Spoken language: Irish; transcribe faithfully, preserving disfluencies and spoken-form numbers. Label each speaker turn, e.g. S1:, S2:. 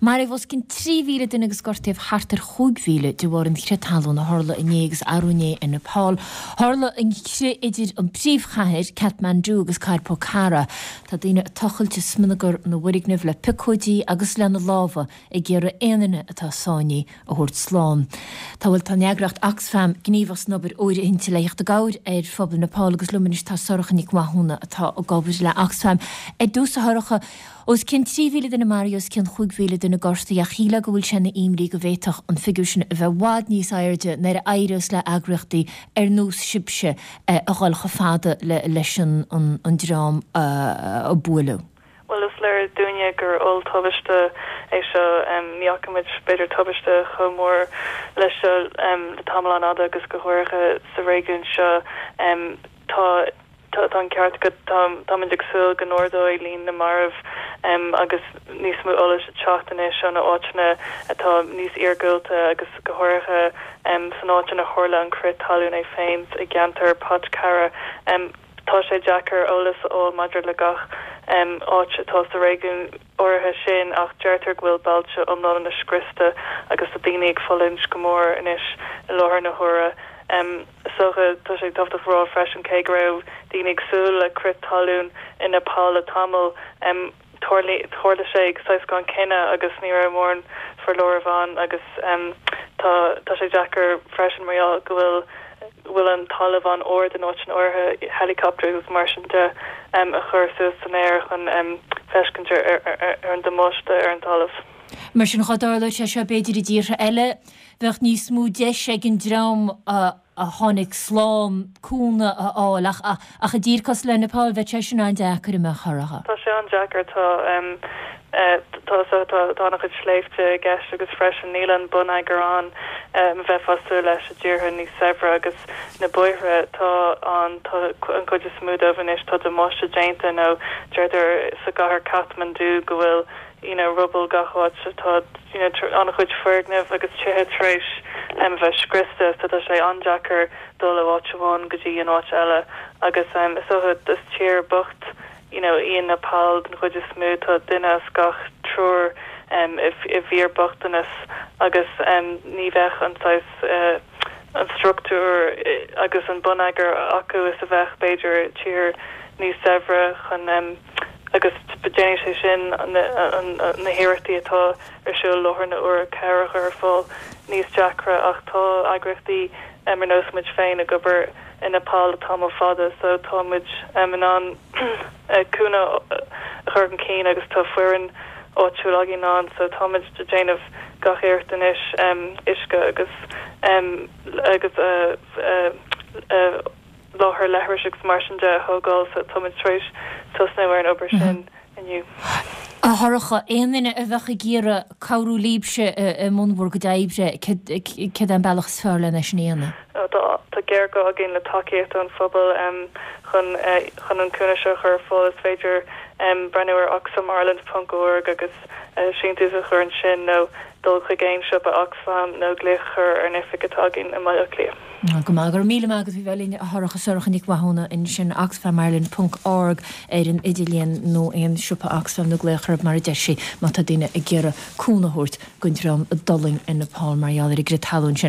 S1: Maraíodh os cionn trí mhíle duine agus gortaíodh thart ar chúig mhíle de bharr an chrith talún a tharla inné agus arú inné i Nepal. Tharla an crith idir an príomhchathair, Kathmandu, agus cathair Pokhara. Tá daoine ag tochailt i smionagar na bhfoirgneamh le piocóidí agus lena lámha ag iarraidh aon duine atá sáinnithe a thabhairt slán. Tá bhuel tá an eagraíocht Oxfam gníomhach san obair fhóirithinte le theacht i gcabhair ar phobal Nepal agus liom anois tá Sorcha Nic Mhathúna atá ag obair le Oxfam. Ar dtús a Shorcha, os cionn trí mhíle duine maraithe, os cionn chúig mhíle duine gortaithe ach shílfeá go bhfuil sé ina imní go bhféadfadh an figiúr sin a bheith i bhfad níos airde nuair a éireos le eagraíochtaí ar nós sibhse a dhul chomh fada leis an dream a buaileadh.
S2: Bhuel, is léir dúinne gur olltubaiste é seo. Ní fhaca muid b'fhéidir tubaiste chomh mór leis seo le tamall an-fhada agus go háirithe sa réigiún seo. Tá tá an ceart agat, táimid ag súil go n-ardóidh líon na marbh agus níos mó eolais ag teacht anois ó na áiteanna atá níos iargúlta agus go háirithe san áit ina tharla an crith talún é féin i gceantar Pokhara. Tá sé deacair eolas a fháil maidir le gach áit atá sa réigiún áirithe sin ach deirtear go bhfuil bailte iomlána scriosta agus tá daoine ag fulaingt go mór anois i láthair na huaire. Is dócha, tá sé tábhachtach a rá freisin cé go raibh daoine ag súil le crith talún i Nepal le tamall, tharla sé saghas gan choinne agus ní raibh mórán foláireamh ann agus tá tá sé deacair freisin mar gheall go bhfuil bhfuil an talamh an-ard in áiteanna áirithe, helicopters agus mar sin de a chur suas san aer chun feiscint ar ar an damáiste ar an talamh.
S1: Mar sin dá dtarlódh sé seo b'fhéidir i dtíortha eile, bheadh níos mó deis ag an dream a a tháinig slán cúnamh a fháil ach ach i dtír cosúil le Nepal bheadh sé sin an-deacair a Shorcha.
S2: Tá sé an-deacair tá tá tá tá an-chuid sléibhte i gceist agus freisin níl an bonneagar ann a bheifeá ag súil leis i dtíortha níos saibhre agus na bóithre tá an tá an chuid is mó dóibh anois tá damáiste déanta nó deirtear sa gcathair Kathmandu go bhfuil you know ruball gach áit tá you know an-chuid foirgneamh agus tithe tar éis um, bheith scriosta so tá sé an-deacair dul ó áit amháin go dtí an áit eile agus um, is dócha is tír bocht you know í an Nepal den chuid is mó tá duine as gach triúr um, i, i bhfíorbhochtanas agus um, ní bheadh an saghas uh, an struchtúr agus an bonneagar acu is a bheadh b'fhéidir tír níos saibhre chun um, agus déanann sé sin na hiarrachtaí atá ar siúl láthair na huaire cabhair a chur ar fáil níos deacra ach tá eagraíochtaí ar nós muid féin ag obair i Nepal tamall fada so tá muid in ann cúnamh a chur chun cinn agus tá foireann áitiúil againn ann so tá muid ag déanamh gach iarracht anois uisce agus agus láthair leithris agus mar sin de a thógáil so tá muid tar éis tosnú ar an obair sin inniu.
S1: A Shorcha, aon duine a bheadh ag iarraidh cabhrú libhse i mbun bhur gcuid oibre, céard é an bealach is fearr lena sin a dhéanamh?
S2: Tá géarghá againn le tacaíocht ón phobal chun chun an cúnamh seo a chur ar fáil. Is féidir breathnú ar oxfamireland ponc org agus síntiús a chur ansin nó dul chuig aon siopa Oxfam nó glaoch a chur ar an oifig atá againn i mBaile Átha Cliath.
S1: Go maith, go raibh míle maith agat faoi bheith linn a Shorcha, Sorcha Nic Mhathúna ansin oxfamireland ponc org ar an idirlíon nó aon siopa Oxfam nó glaoch orthu mar a deir sí má tá daoine ag iarraidh cúnamh a thabhairt don dream a d'fhulaing i Nepal mar gheall ar an gcrith talún sin.